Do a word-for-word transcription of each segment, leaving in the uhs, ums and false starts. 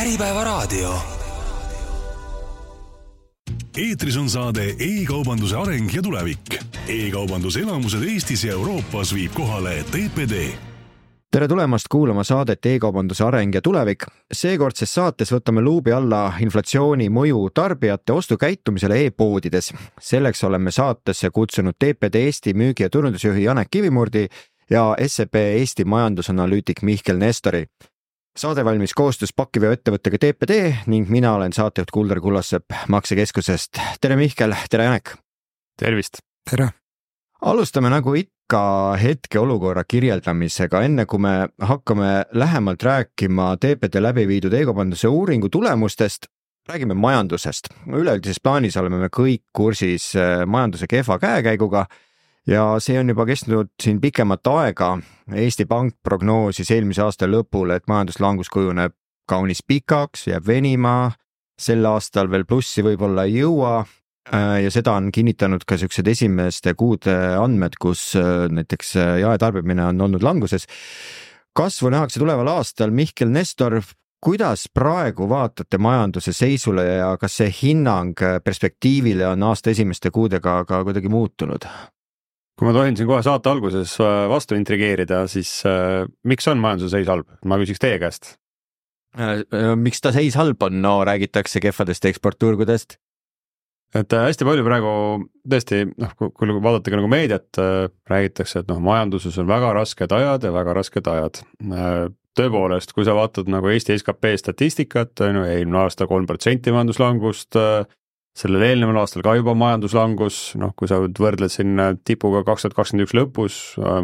Äripäevaraadio. Eetris on saade e-kaubanduse areng ja tulevik. E-kaubanduse elamused Eestis ja Euroopas viib kohale T P D. Tere tulemast kuulama saadet e-kaubanduse areng ja tulevik. Seekordses saates võtame luubi alla inflatsiooni mõju tarbijate ostukäitumisele e-poodides. Selleks oleme saatesse kutsunud T P D Eesti müügi- ja turundusjuhi Janek Kivimurdi ja S E B Eesti majandusanalüütik Mihkel Nestori. Saade valmis koostöös pakkiveo ettevõttega T P D ning mina olen saatejuht Kuldar Kullassepp Maksekeskusest. Tere Mihkel, tere Janek! Tervist! Tere! Alustame nagu ikka hetke olukorra kirjeldamisega, enne kui me hakkame lähemalt rääkima T P D läbi viidud e-kaubanduse uuringu tulemustest, räägime majandusest. Üleüldises plaanis oleme me kõik kursis majanduse kehva käekäiguga ja see on juba kestnud siin pikemat aega. Eesti Pank prognoosis eelmise aasta lõpul, et majanduslangus kujuneb kaunis pikaks, jääb venima, sel aastal veel plussi võib-olla ei jõua ja seda on kinnitanud ka sellised esimeste kuude andmed, kus näiteks jaetarbimine on olnud languses. Kasvu nähakse tuleval aastal. Mihkel Nestor, kuidas praegu vaatate majanduse seisule ja kas see hinnang perspektiivile on aasta esimeste kuudega ka kuidagi muutunud? Kui ma tohin siin kohe saate alguses vastu intrigeerida, siis äh, miks on majanduse seis halb? Ma küsiks teie käest. Miks ta seis halb on? No räägitakse kehvadest eksportturgudest. Et äh, hästi palju praegu tõesti, noh, kui vaadata ka nagu meediat, äh, räägitakse, et noh, majanduses on väga rasked ajad ja väga rasked ajad. Äh, tõepoolest, kui sa vaatad nagu Eesti S K P statistikat, no, eelmine aasta kolm protsenti majanduslangust, äh, sellel eelneval aastal ka juba majanduslangus, noh, kui sa võrdled siin tipuga kaks tuhat kakskümmend üks lõpus,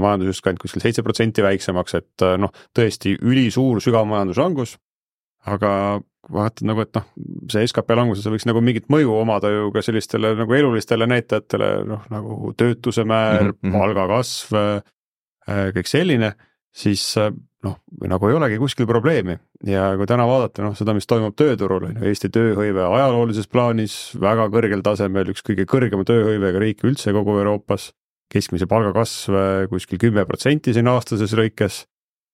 majandus just kand kuskil seitse protsenti väiksemaks, et noh, tõesti ülisuur sügav majanduslangus, aga vaatad nagu, et noh, see S K P languses võiks nagu mingit mõju omada ju ka sellistele nagu elulistele näitajatele, noh, nagu töötuse määr, mm-hmm. palgakasv, kõik selline, siis noh, nagu ei olegi kuskil probleemi ja kui täna vaadata, noh, seda, mis toimub tööturul, Eesti tööhõive ajaloolises plaanis väga kõrgel tasemel, üks kõige kõrgema tööhõivega riik üldse kogu Euroopas, keskmise palgakasv kuskil kümme protsenti siin aastases lõikes.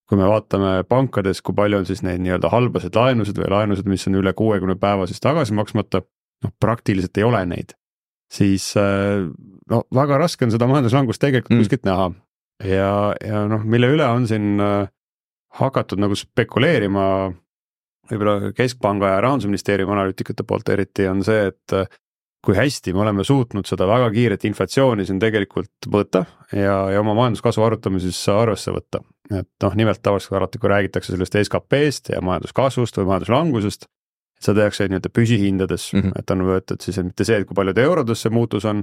Kui me vaatame pankades, kui palju on siis neid nii-öelda halbased laenused või laenused, mis on üle kuuekümne päeva siis tagasi maksmata, noh, praktiliselt ei ole neid, siis no, väga raske on seda majanduslangust tegelikult mm. kuskilt näha ja, ja noh, mille üle on siin hakatud nagu spekuleerima võib-olla Keskpanga ja Rahandusministeeriumi analüütikute poolt eriti on see, et kui hästi me oleme suutnud seda väga kiiret inflatsiooni siin tegelikult mõõta ja, ja oma majanduskasvu arutamises arvesse võtta. Et noh, nimelt tavaliselt alati, kui räägitakse sellest S K P-st ja majanduskasvust või majanduslangusest, et seda tehakse nii-öelda püsihindades, mm-hmm. et on võetud siis mitte see, et kui palju eurodes see muutus on,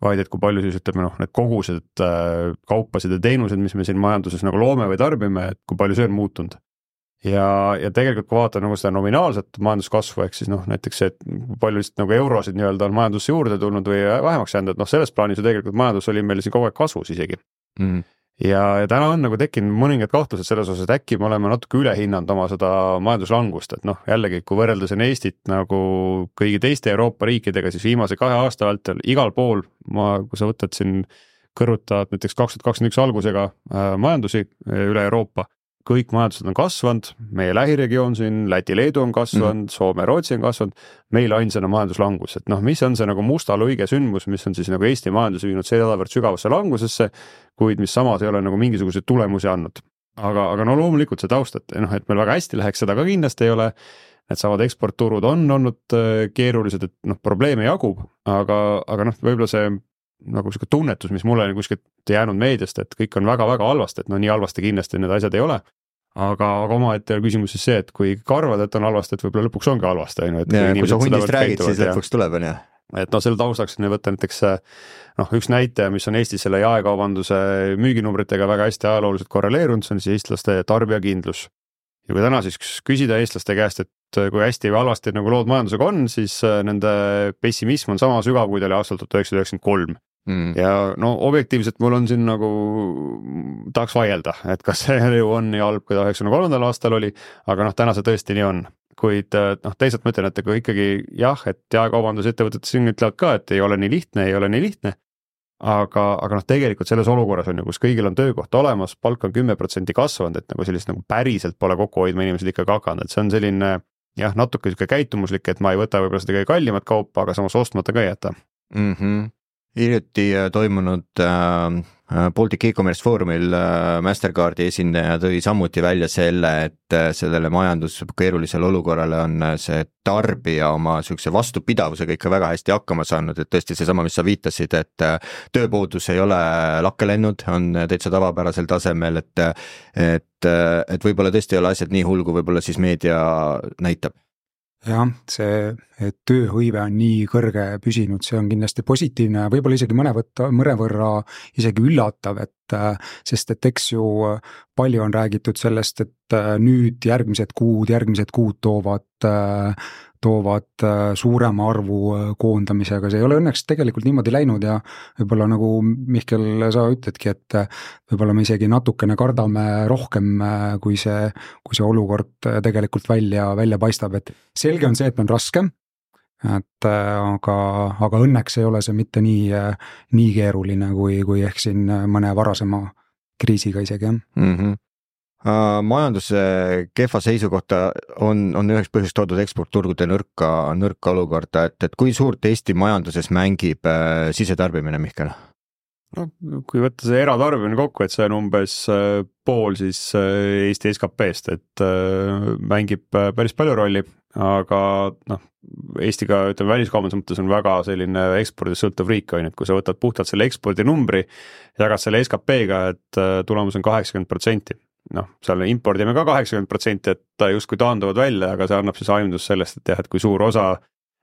vaid et kui palju siis ütleme, noh, need kogused kaupasid ja teenused, mis me siin majanduses nagu loome või tarbime, et kui palju see on muutunud. Ja, ja tegelikult kui vaata nagu seda nominaalset majanduskasvu, ehk siis noh, näiteks see, et kui palju lihtsalt nagu eurosid nii-öelda on majandusse juurde tulnud või vähemaks jäänud, et noh, selles plaanis ju tegelikult majandus oli meil siin kogu aeg kasvus isegi. Mm. Ja, ja täna on nagu tekkinud mõningad kahtlused selles osas, et äkki me oleme natuke ülehinnanud oma seda majanduslangust, et noh, jällegi, kui võrreldes on Eestit nagu kõigi teiste Euroopa riikidega, siis viimase kahe aasta vältel igal pool, ma, kui sa võtad siin kõrvutad näiteks kaks tuhat kakskümmend üks algusega äh, majandusi üle Euroopa, kõik majandused on kasvanud, meie lähiregioon siin, Läti-Leedu on kasvanud, mm. Soome-Rootsi on kasvanud, meil ainsana majanduslangus, et noh, mis on see nagu musta luige sündmus, mis on siis nagu Eesti majanduse viinud sedavõrd sügavasse langusesse, kuid mis samas ei ole nagu mingisuguseid tulemusi andnud. Aga, aga no loomulikult see taust, et, noh, et meil väga hästi läheks, seda ka kindlasti ei ole, need samad eksportturud on olnud keerulised, et noh, probleeme jagub, aga, aga noh, võib-olla see nagu selline tunnetus, mis mulle on kuskilt jäänud meediast, et kõik on väga-väga halvasti, et no nii halvasti kindlasti need asjad ei ole, aga, aga oma ette küsimus siis see, et kui karvad, et on halvasti, et võib-olla lõpuks ongi halvasti. Et ja, kui sa hundist räägid, siis lõpuks tuleb, on jah. Et no selle taustaks on võtta näiteks noh, üks näitaja, mis on Eestis selle jaekaubanduse müüginumbritega väga hästi ajalooliselt korreleerunud, see on siis eestlaste tarbijakindlus. Ja kui täna siis küsida eestlaste käest, et kui hästi või halvasti nagu lood majandusega on, siis nende pessimism on sama sügav, kui ta oli aastal tuhat üheksasada üheksakümmend kolm. Mm. Ja no objektiivselt mul on siin nagu tahaks vaielda, et kas see ju on nii halb, kui ta üheksakümne kolmandal aastal oli, aga noh, täna see tõesti nii on. Kuid noh, teisalt mõtlen, et kui ikkagi jah, et jaekaubandusettevõtted siin ütlevad ka, et ei ole nii lihtne, ei ole nii lihtne, aga, aga noh, tegelikult selles olukorras on ju, kus kõigil on töökoht olemas, palk on kümme protsenti kasvanud, et nagu sellist nagu päriselt pole kokku hoidma inimesed ikkagi hakanud, et see on selline jah, natuke sihuke käitumuslik, et ma ei võta võib-olla seda kõige kallimat kaupa, aga samas ostmata ka ei jäta mm. -hmm. Hiljuti toimunud äh, Baltic e-commerce foorumil äh, Mastercardi esindaja tõi samuti välja selle, et äh, sellele majandus keerulisele olukorrale on see tarbija oma niisuguse vastupidavusega ikka väga hästi hakkama saanud, et tõesti seesama, mis sa viitasid, et äh, tööpuudus ei ole lakke lennud, on täitsa tavapärasel tasemel, et et, et võib-olla tõesti ei ole asjad nii hull, kui võib-olla siis meedia näitab. Jah, see, et tööhõive on nii kõrge püsinud, see on kindlasti positiivne, võib-olla isegi mõne võtta, mõne võrra isegi üllatav, et sest et eks ju palju on räägitud sellest, et nüüd järgmised kuud, järgmised kuud toovad, toovad suurema arvu koondamisega, see ei ole õnneks tegelikult niimoodi läinud ja võib-olla nagu Mihkel, sa ütledki, et võib-olla me isegi natukene kardame rohkem, kui see, kui see olukord tegelikult välja, välja paistab, et selge on see, et on raske, et aga, aga õnneks ei ole see mitte nii, nii keeruline, kui, kui ehk siin mõne varasema kriisiga isegi, jah. Mm -hmm. Uh, majanduse kehva seisukohta on, on üheks põhjust toodud eksportturgude nõrka, nõrka olukorda, et, et kui suurt Eesti majanduses mängib äh, sisetarbimine, Mihkel? No, kui võtta see eratarbimine kokku, et see on umbes äh, pool siis äh, Eesti S K P-st, et äh, mängib äh, päris palju rolli, aga noh, Eestiga, ütleme, väliskaubanduse mõttes on väga selline ekspordist sõltuv riik, on, et kui sa võtad puhtalt selle ekspordi numbri, jagad selle S K P-ga, et äh, tulemus on kaheksakümmend protsenti. Noh, seal impordime ka kaheksakümmend protsenti, et ta justkui taanduvad välja, aga see annab siis aimdus sellest, et jah, et kui suur osa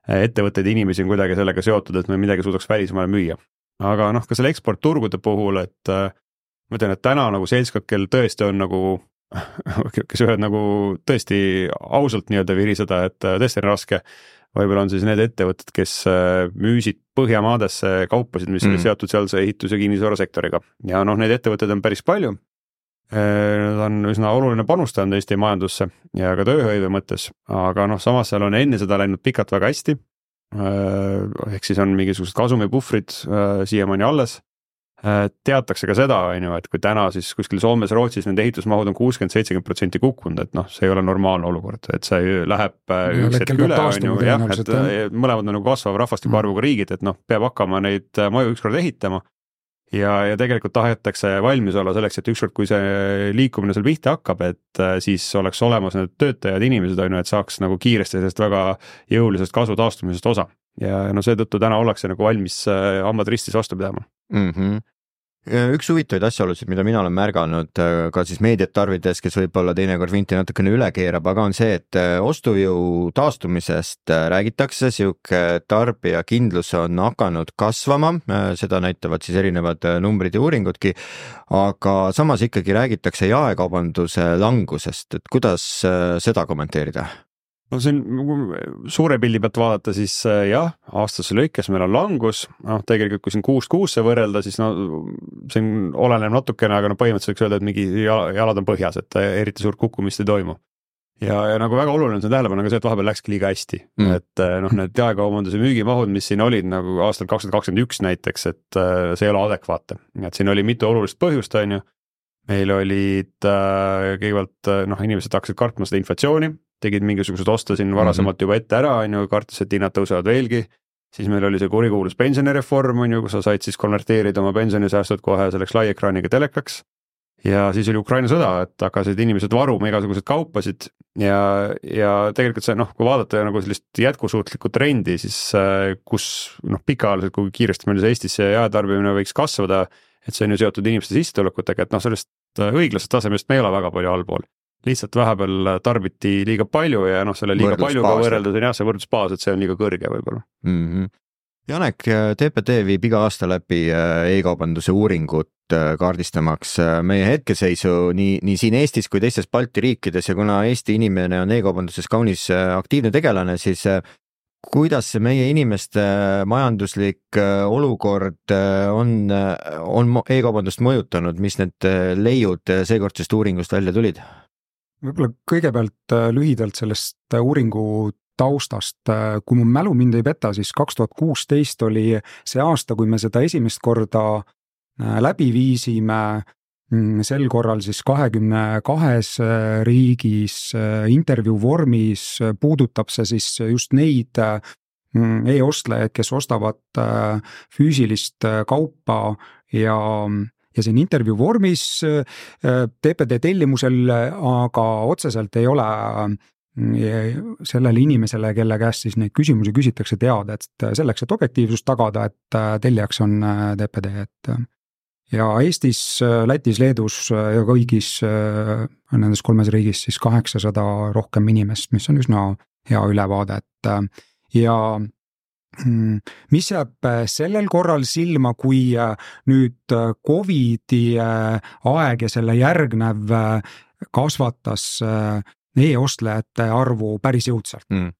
ettevõtteid inimesi on kuidagi sellega seotud, et me midagi suudaks välismaale müüa. Aga noh, ka selle eksportturgude puhul, et ma ütlen, et täna nagu seltskond, kel tõesti on nagu, kes ühed nagu tõesti ausalt nii-öelda viriseda, et tõesti on raske, võib-olla on siis need ettevõtted, kes müüsid Põhjamaadesse kaupasid, mis mm. oli seotud sealse ehitus- ja kinnisvarasektoriga. Ja noh, neid ettevõtted on päris palju. Nad on üsna oluline panustanud Eesti majandusse ja ka tööhõive mõttes, aga noh, samas seal on enne seda läinud pikalt väga hästi. Ehk siis on mingisugused kasumipuhvrid siiamaani alles. Teatakse ka seda, et kui täna siis kuskil Soomes, Rootsis nende ehitusmahud on kuuskümmend seitsekümmend protsenti kukkunud, et noh, see ei ole normaalne olukord, et see läheb üks hetk üle, on ju, jah, et mõlemad on nagu kasvav rahvastiku arvuga riigid, et noh, peab hakkama neid maju ükskord ehitama. Ja, ja tegelikult tahetakse valmis olla selleks, et ükskord, kui see liikumine seal pihta hakkab, et siis oleks olemas need töötajad, inimesed, on ju, et saaks nagu kiiresti sellest väga jõulisest kasvu taastumisest osa. Ja no seetõttu täna ollakse nagu valmis hambad ristis vastu pidama. Mm -hmm. Üks huvitavaid asjaolusid, mida mina olen märganud ka siis meediat tarvides, kes võib-olla teinekord vinti natukene üle keerab, aga on see, et ostujõu taastumisest räägitakse, siuke tarbijakindlus on hakanud kasvama, seda näitavad siis erinevad numbrid ja uuringudki, aga samas ikkagi räägitakse jaekaubanduse langusest, et kuidas seda kommenteerida? No siin suure pildi pealt vaadata, siis jah, aastase lõikes meil on langus, noh tegelikult kui siin kuust kuusse võrrelda, siis no siin oleneb natukene, aga no põhimõtteliselt võiks öelda, et mingi jalad on põhjas, et eriti suurt kukkumist ei toimu. Ja, ja nagu väga oluline on see tähelepanu, aga see, et vahepeal läkski liiga hästi, mm. et noh, need jaekaubanduse müügimahud, mis siin olid nagu aastal kakskümmend kakskümmend üks näiteks, et see ei ole adekvaatne, et siin oli mitu olulist põhjust, on ju, meil olid kõigepealt, noh, inimesed hakkasid kartma seda inflatsiooni, tegid mingisugused osta siin varasemalt juba ette ära, on ju, kartes, et hinnad tõusevad veelgi, siis meil oli see kurikuulus pensionireform, on ju, kus sa said siis konverteerida oma pensionisäästud kohe selleks laiekraaniga telekaks, ja siis oli Ukraina sõda, et hakkasid inimesed varuma igasuguseid kaupasid ja, ja tegelikult see, noh, kui vaadata nagu sellist jätkusuutlikku trendi, siis kus, noh, pikaajaliselt, kui kiiresti meil see Eestisse jaetarbimine võiks kasvada, et see on ju seotud inimeste sissetulekutega, et noh, sellest õiglasest tasemest me ei ole väga palju allpool. Lihtsalt vahepeal tarbiti liiga palju ja noh, selle liiga paljuga võrreldes on jah, see võrdlusbaas, et see on liiga kõrge võib-olla. Mm -hmm. Janek, T P T viib iga aasta läbi e-kaubanduse uuringut kaardistamaks meie hetkeseisu nii, nii siin Eestis kui teistes Balti riikides ja kuna Eesti inimene on e-kaubanduses kaunis aktiivne tegelane, siis kuidas see meie inimeste majanduslik olukord on, on e-kaubandust mõjutanud, mis need leiud seekordsest uuringust välja tulid? Võib-olla kõigepealt lühidalt sellest uuringu taustast, kui mu mälu mind ei peta, siis kaks tuhat kuusteist oli see aasta, kui me seda esimest korda läbi viisime sel korral siis kahekümne kahes riigis intervjuu vormis, puudutab see siis just neid e-ostlejaid, kes ostavad füüsilist kaupa ja ja siin intervjuu vormis T P D tellimusel, aga otseselt ei ole sellele inimesele, kelle käest siis neid küsimusi küsitakse, teada, et selleks, et objektiivsust tagada, et tellijaks on T P D, et ja Eestis, Lätis, Leedus ja kõigis nendes kolmes riigis siis kaheksasada rohkem inimest, mis on üsna hea ülevaade, et ja mis jääb sellel korral silma, kui nüüd Covidi aeg ja selle järgnev kasvatas e-ostlejate arvu päris jõudsalt mm.,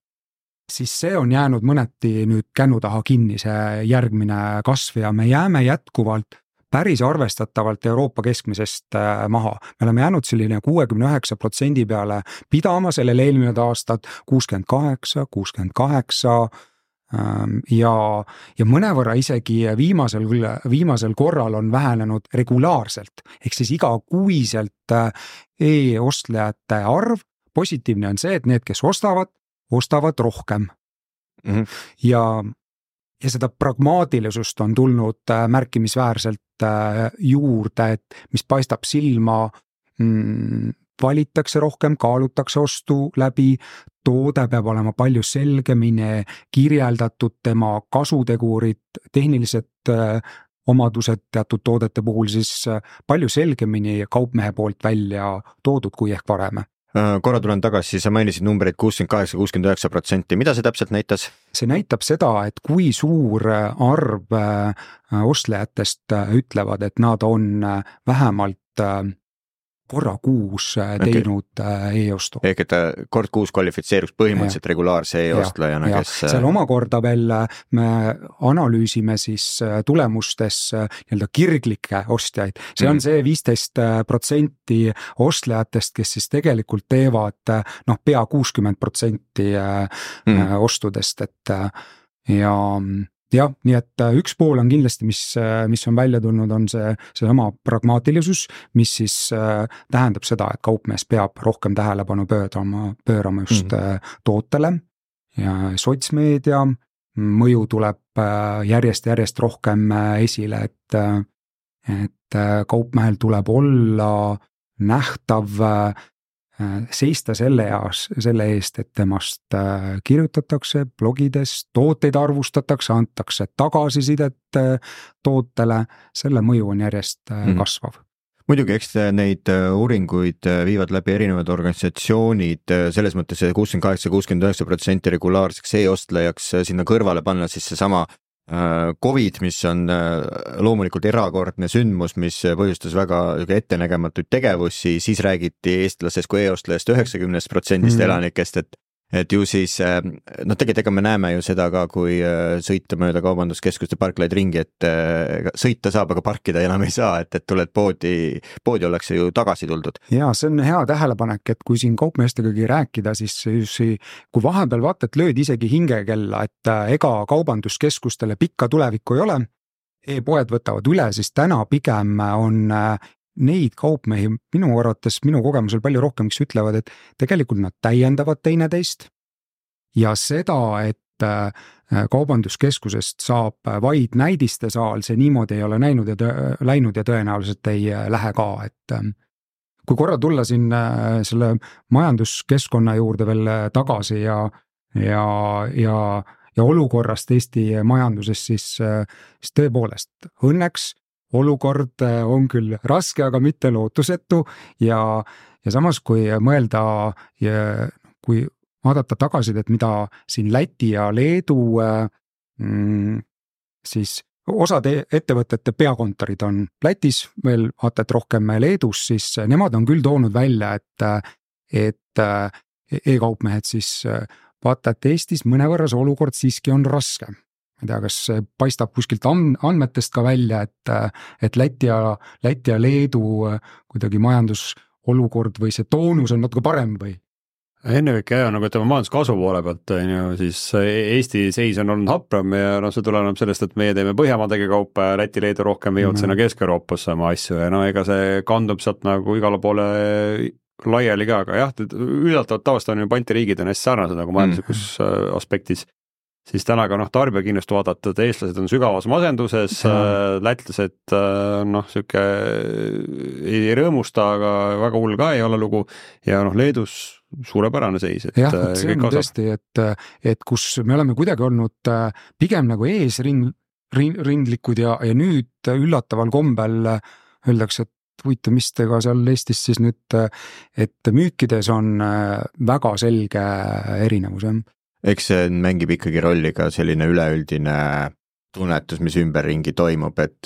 siis see on jäänud mõneti nüüd kännu taha kinni, see järgmine kasv, ja me jääme jätkuvalt päris arvestatavalt Euroopa keskmisest maha. Me oleme jäänud selline kuuekümne üheksa protsendi peale pidama sellel eelmine aastat, kuuskümmend kaheksa, kuuskümmend kaheksa ja, ja mõnevõrra isegi viimasel, viimasel korral on vähenenud regulaarselt, ehk siis igakuiselt e-ostlejate arv. Positiivne on see, et need, kes ostavad, ostavad rohkem mm-hmm. ja, ja seda pragmaatilisust on tulnud märkimisväärselt juurde, et mis paistab silma, mm, valitakse rohkem, kaalutakse ostu läbi, toode peab olema palju selgemini kirjeldatud, tema kasutegurid, tehnilised omadused teatud toodete puhul siis palju selgemini kaupmehe poolt välja toodud kui ehk varem. Korra tulen tagasi, sa mainisid numbreid kuuskümmend kaheksa kuuskümmend üheksa protsenti, mida see täpselt näitas? See näitab seda, et kui suur arv ostlejatest ütlevad, et nad on vähemalt korra kuus teinud okay. e-ostu. Ehk et kord kuus kvalifitseeruks põhimõtteliselt ja. regulaarse e-ostlejana, kes... Seal omakorda veel me analüüsime siis tulemustes nii-öelda kirglikke ostjaid. See on mm. see viisteist protsenti ostlejatest, kes siis tegelikult teevad noh, pea kuuskümmend protsenti mm. ostudest, et ja... jah, nii et üks pool on kindlasti, mis, mis on välja tulnud, on see, see sama pragmaatilisus, mis siis äh, tähendab seda, et kaupmees peab rohkem tähelepanu pöörama, pöörama just mm. tootele ja sotsmeedia mõju tuleb äh, järjest, järjest rohkem esile, et, et kaupmehel tuleb olla nähtav äh, seista selle, eas, selle eest, et temast kirjutatakse blogides, tooteid arvustatakse, antakse tagasisidet tootele, selle mõju on järjest mm. kasvav. Muidugi, eks neid uuringuid viivad läbi erinevad organisatsioonid, selles mõttes kuuskümmend kaheksa kuuskümmend üheksa protsenti regulaarseks e-ostlejaks sinna kõrvale panna siis see sama Covid, mis on loomulikult erakordne sündmus, mis põhjustas väga ettenägematuid tegevusi, siis räägiti eestlasest kui e-ostlejast üheksakümne protsendist mm. elanikest, et, et ju siis, no tegelikult ega me näeme ju seda ka, kui sõita mööda kaubanduskeskuste parklaid ringi, et sõita saab, aga parkida enam ei saa, et, et tuled poodi, poodi ollakse ju tagasi tuldud. Ja see on hea tähelepanek, et kui siin kaupmeestegagi rääkida, siis, siis kui vahepeal vaata, et lööd isegi hingekella, et ega kaubanduskeskustele pikka tulevikku ei ole, e-poed võtavad üle, siis täna pigem on neid kaupmehi minu arvates, minu kogemusel palju rohkem, kes ütlevad, et tegelikult nad täiendavad teineteist ja seda, et kaubanduskeskusest saab vaid näidiste saal, see niimoodi ei ole näinud ja tõ- läinud ja tõenäoliselt ei lähe ka, et kui korra tulla siin selle majanduskeskkonna juurde veel tagasi ja, ja, ja, ja olukorrast Eesti majanduses, siis, siis tõepoolest õnneks olukord on küll raske, aga mitte lootusetu ja, ja samas kui mõelda ja kui vaadata tagasi, et mida siin Läti ja Leedu mm, siis osad ettevõtete peakontorid on Lätis, veel vaata, et rohkem Leedus, siis nemad on küll toonud välja, et, et e-kaupmehed siis vaata, et Eestis mõnevõrra see olukord siiski on raske. Ma ei tea, kas paistab kuskilt andmetest ka välja, et, et Läti ja, Läti ja Leedu kuidagi majandusolukord või see toonus on natuke parem või ennekõike jah, nagu ütleme majanduskasvu poole pealt, on ju, siis Eesti seis on olnud hapram ja noh, see tuleneb sellest, et meie teeme Põhjamaadega kaupa ja Läti, Leedu rohkem viivad sinna Kesk-Euroopasse oma asju ja no ega see kandub sealt nagu igale poole laiali ka, aga jah, üllatavalt tavaliselt on ju Balti riigid on hästi sarnased nagu majanduslikus mm. aspektis, siis täna ka noh, tarbijakinnust vaadata, et eestlased on sügavas masenduses, lätlased noh, sihuke ei rõõmusta, aga väga hull ka ei ole lugu ja noh, Leedus suurepärane seis. Et jah, see on tõesti, et, et kus me oleme kuidagi olnud pigem nagu eesrind, rindlikud ja, ja nüüd üllataval kombel öeldakse, et huvitav, mis te ka seal Eestis siis nüüd, et müükides on väga selge erinevus. Eks see mängib ikkagi rolli ka selline üleüldine tunnetus, mis ümberringi toimub, et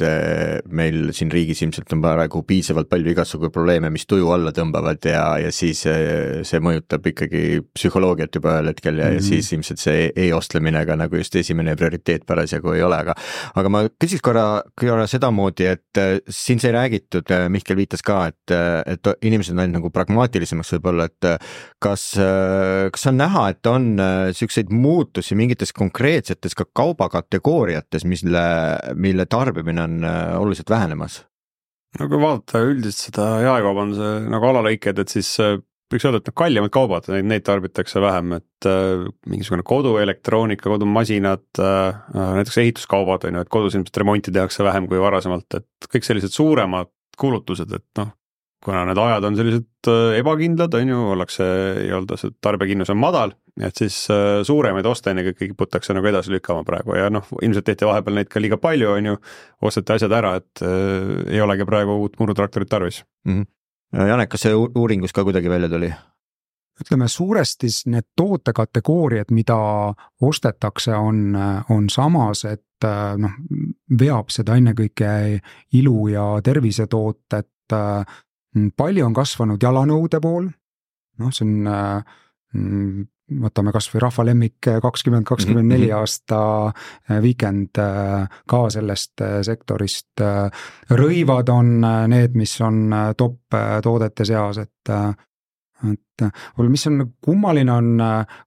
meil siin riigis ilmselt on praegu piisavalt palju igasugu probleeme, mis tuju alla tõmbavad ja, ja siis see mõjutab ikkagi psühholoogiat juba ühel hetkel ja, mm-hmm. ja siis ilmselt see e-ostlemine ka nagu just esimene prioriteet parasjagu ei ole, aga aga ma küsiks korra, korra seda moodi, et siin sai räägitud, Mihkel viitas ka, et, et inimesed on ainult nagu pragmaatilisemaks võib-olla, et kas, kas on näha, et on selliseid muutusi mingites konkreetsetes ka kaubakategooriates, mille, mille tarbimine on oluliselt vähenemas? No kui vaadata üldiselt seda jaekaubanduse nagu alalõiked, et siis võiks öelda, et kallimad kaubad, neid, neid tarbitakse vähem, et äh, mingisugune koduelektroonika, kodumasinad, äh, näiteks ehituskaubad on ju, et kodus ilmselt remonti tehakse vähem kui varasemalt, et kõik sellised suuremad kulutused, et noh, kuna need ajad on sellised ebakindlad, on ju, ollakse nii-öelda see tarbijakinnus on madal, et siis suuremaid osta ennekõike kiputakse nagu edasi lükkama praegu ja noh, ilmselt tehti vahepeal neid ka liiga palju, on ju, osteti asjad ära, et äh, ei olegi praegu uut murutraktorit tarvis. Mm-hmm. Janek, kas see uuringus ka kuidagi välja tuli? Ütleme, suuresti need tootekategooriad, mida ostetakse, on, on samas, et noh, veab seda ennekõike ilu ja tervisetootet. Palju on kasvanud jalanõude pool, noh, see on, võtame kas või rahvalemmik kakskümmend kakskümmend neli aasta weekend ka sellest sektorist. Rõivad on need, mis on top toodete seas, et et mis on kummaline on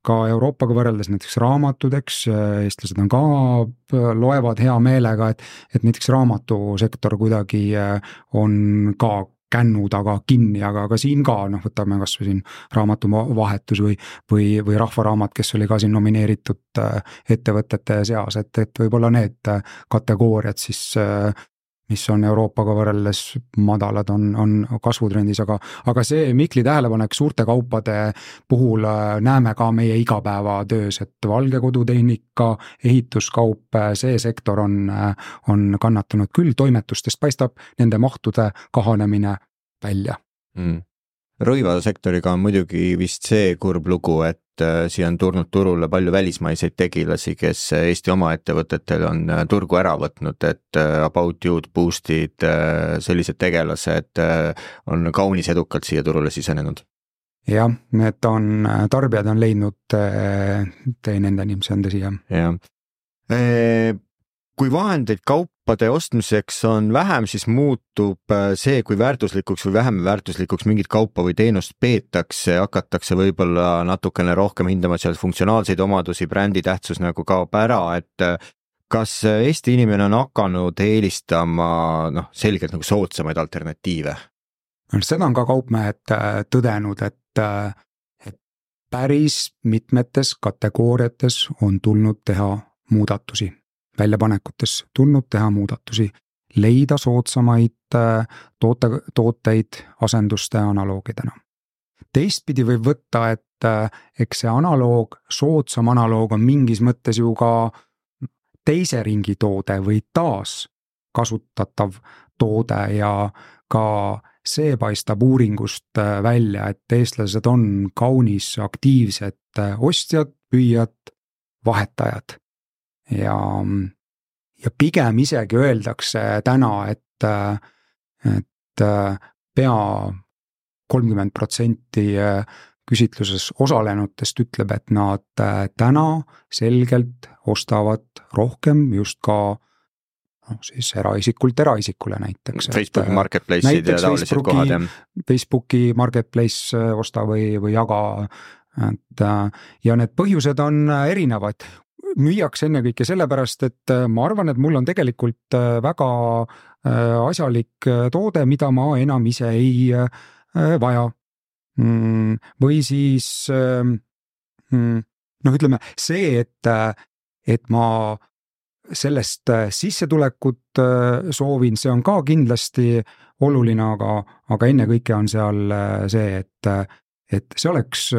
ka Euroopaga võrreldes näiteks raamatudeks, eestlased on ka, loevad hea meelega, et, et näiteks raamatusektor kuidagi on ka kännu taga kinni, aga ka siin ka, noh, võtame kas või siin raamatuvahetus või, või, või rahvaraamat, kes oli ka siin nomineeritud ettevõtete seas, et, et võib-olla need kategooriad siis, mis on Euroopaga võrreldes madalad, on, on kasvutrendis, aga, aga see Mikli tähelepanek suurte kaupade puhul näeme ka meie igapäevatöös, et valgekodutehnika, ehituskaup, see sektor on, on kannatanud küll, toimetustest paistab nende mahtude kahanemine välja. Mm. Rõivasektoriga on muidugi vist see kurb lugu, et siia on tulnud turule palju välismaiseid tegilasi, kes Eesti oma ettevõtetel on turgu ära võtnud, et About You'd, Boostid, sellised tegelased on kaunis edukalt siia turule sisenenud. Jah, need on, tarbijad on leidnud tee nendeni, see on tõsi, jah. jah. Kui vahendeid kaupade ostmiseks on vähem, siis muutub see, kui väärtuslikuks või vähem väärtuslikuks mingit kaupa või teenust peetakse, hakatakse võib-olla natukene rohkem hindama seal funktsionaalseid omadusi, brändi tähtsus nagu kaob ära, et kas Eesti inimene on hakanud eelistama noh, selgelt nagu soodsamaid alternatiive? Seda on ka kaupmehed tõdenud, et, et päris mitmetes kategooriates on tulnud teha muudatusi. Väljapanekutes tulnud teha muudatusi, leida soodsamaid toote, tooteid asenduste analoogidena. Teistpidi võib võtta, et eks see analoog, soodsam analoog on mingis mõttes ju ka teise ringi toode või taas kasutatav toode ja ka see paistab uuringust välja, et eestlased on kaunis aktiivsed ostjad, püüjad, vahetajad. Ja, ja pigem isegi öeldakse täna, et, et pea kolmkümmend protsenti küsitluses osalenutest ütleb, et nad täna selgelt ostavad rohkem just ka no, siis eraisikult eraisikule näiteks. Facebooki marketplace'id ja taolised kohad. Facebooki marketplace osta või, või jaga et ja need põhjused on erinevad. Müüaks ennekõike sellepärast, et ma arvan, et mul on tegelikult väga asjalik toode, mida ma enam ise ei vaja. Või siis noh, ütleme see, et, et ma sellest sissetulekut soovin, see on ka kindlasti oluline, aga, aga ennekõike on seal see, et, et see oleks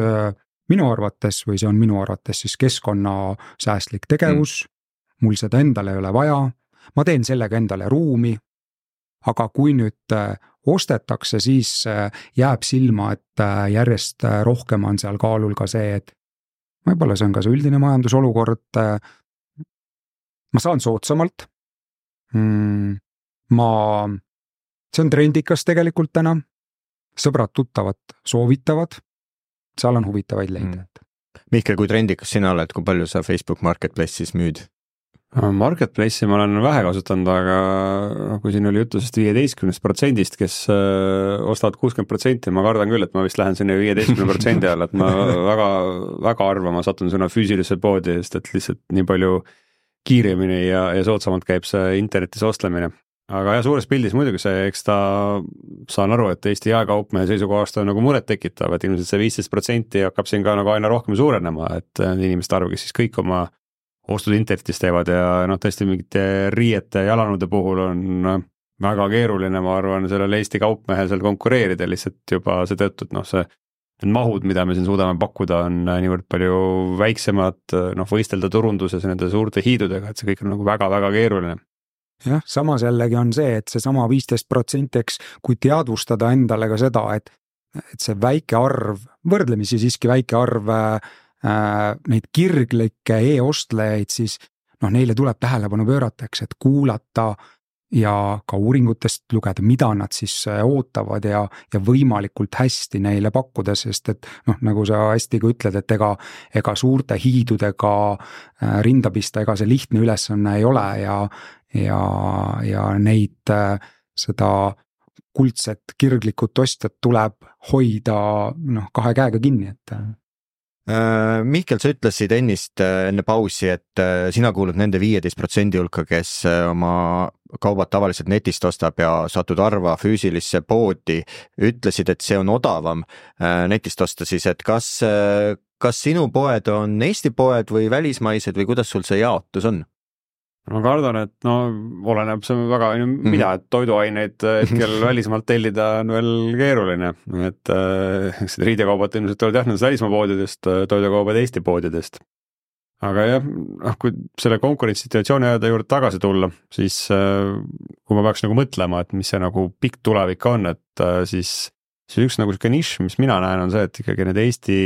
minu arvates või see on minu arvates siis keskkonnasäästlik tegevus, mm. mul seda endale ei ole vaja, ma teen sellega endale ruumi, aga kui nüüd ostetakse, siis jääb silma, et järjest rohkem on seal kaalul ka see, et võib-olla see on ka see üldine majandusolukord, ma saan soodsamalt, ma, see on trendikas tegelikult täna, sõbrad tuttavad soovitavad, seal on huvitavaid leida. Mm. Mihkel, kui trendikas sina oled, kui palju sa Facebook Marketplace'is müüd? Marketplace'i ma olen vähe kasutanud, aga kui siin oli juttu sest viieteistkümnest protsendist, kes ostavad kuuskümmend protsenti, ma kardan küll, et ma vist lähen sinna viieteistkümne protsendi alla, et ma väga, väga arva, ma satun sinna füüsilisse poodi, sest et lihtsalt nii palju kiiremini ja, ja soodsamalt käib see internetis ostlemine. Aga jah, suures pildis muidugi see, eks ta saan aru, et Eesti jaekaupmehe seisukohast on nagu muret tekitav, et ilmselt see viisteist protsenti hakkab siin ka nagu aina rohkem suurenema, et inimeste arv, kes siis kõik oma ostud internetis teevad ja noh, tõesti mingite riiete jalanude puhul on väga keeruline, ma arvan, sellel Eesti kaupmehel seal konkureerida lihtsalt juba see tõttu, et noh, see need mahud, mida me siin suudame pakkuda, on niivõrd palju väiksemad, noh, võistelda turunduses nende suurte hiidudega, et see kõik on nagu väga-väga keeruline. Jah, samas jällegi on see, et see sama viisteist protsenti, eks, kui teadvustada endale ka seda, et, et see väike arv, võrdlemisi siiski väike arv äh, neid kirglikke e-ostlejaid, siis noh, neile tuleb tähelepanu pöörata, eks, et kuulata ja ka uuringutest lugeda, mida nad siis ootavad ja, ja võimalikult hästi neile pakkuda, sest et noh, nagu sa hästi ka ütled, et ega, ega suurte hiidudega äh, rinda pista, ega see lihtne ülesanne ei ole ja ja, ja neid seda kuldset kirglikut ostjat tuleb hoida noh, kahe käega kinni, et Mihkel, sa ütlesid ennist enne pausi, et sina kuulud nende viieteist protsendi hulka, kes oma kaubad tavaliselt netist ostab ja satud harva füüsilisse poodi, ütlesid, et see on odavam netist osta siis, et kas, kas sinu poed on Eesti poed või välismaised või kuidas sul see jaotus on? Ma kardan, et no oleneb see väga, mida, et toiduaineid hetkel välismaalt tellida on veel keeruline, et äh, riidekaubad ilmselt tulevad jah nendest välismaa poodidest, toidukaubad Eesti poodidest. Aga jah, noh, kui selle konkurentsituatsiooni ajada juurde tagasi tulla, siis äh, kui ma peaks nagu mõtlema, et mis see nagu pikk tulevik on, et äh, siis see üks nagu nišš, mis mina näen, on see, et ikkagi need Eesti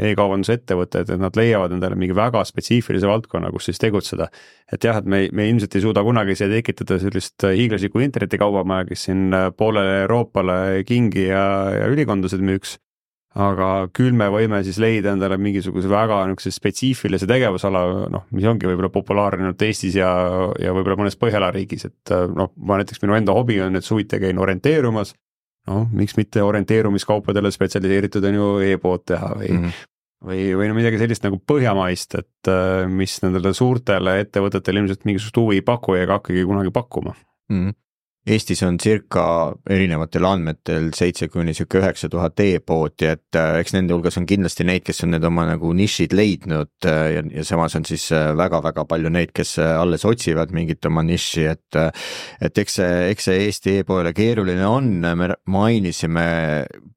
e-kaubanduse ettevõtted, et nad leiavad endale mingi väga spetsiifilise valdkonna, kus siis tegutseda. Et jah, et me, me ilmselt ei suuda kunagi see tekitada sellist hiiglaslikku internetikaubamaja, kes siin poolele Euroopale kingi ja, ja ülikondused müüks, aga küll me võime siis leida endale mingisuguse väga spetsiifilise tegevusala, noh, mis ongi võib-olla populaarne Eestis ja, ja võib-olla mõnes Põhjala riigis, et noh, ma näiteks minu enda hobi on, et suviti käin orienteerumas, noh, miks mitte orienteerumiskaupadele spetsialiseeritud on ju e-pood teha või, mm -hmm. või, või no midagi sellist nagu põhjamaist, et mis nendele suurtele ettevõtetele ilmselt mingisugust huvi ei paku ega hakkagi kunagi pakkuma. Mm -hmm. Eestis on circa erinevatel andmetel seitse kuni üheksa tuhat e-poodi, et eks nende hulgas on kindlasti neid, kes on need oma nagu nišid leidnud ja, ja samas on siis väga-väga palju neid, kes alles otsivad mingit oma niši, et et eks see, eks see Eesti e-poole keeruline on, me mainisime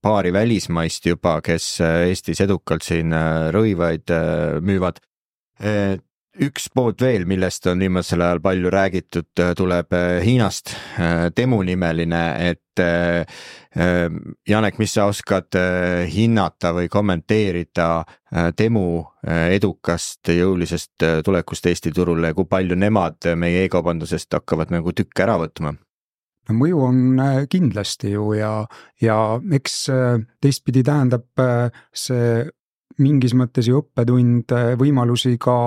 paari välismaist juba, kes Eestis edukalt siin rõivaid müüvad. Üks pood veel, millest on viimasel ajal palju räägitud, tuleb Hiinast, Temu nimeline, et Janek, mis sa oskad hinnata või kommenteerida Temu edukast jõulisest tulekust Eesti turule, kui palju nemad meie e-kaubandusest hakkavad nagu tükk ära võtma? No, mõju on kindlasti ju ja, ja eks teistpidi tähendab see mingis mõttes ju õppetund võimalusi ka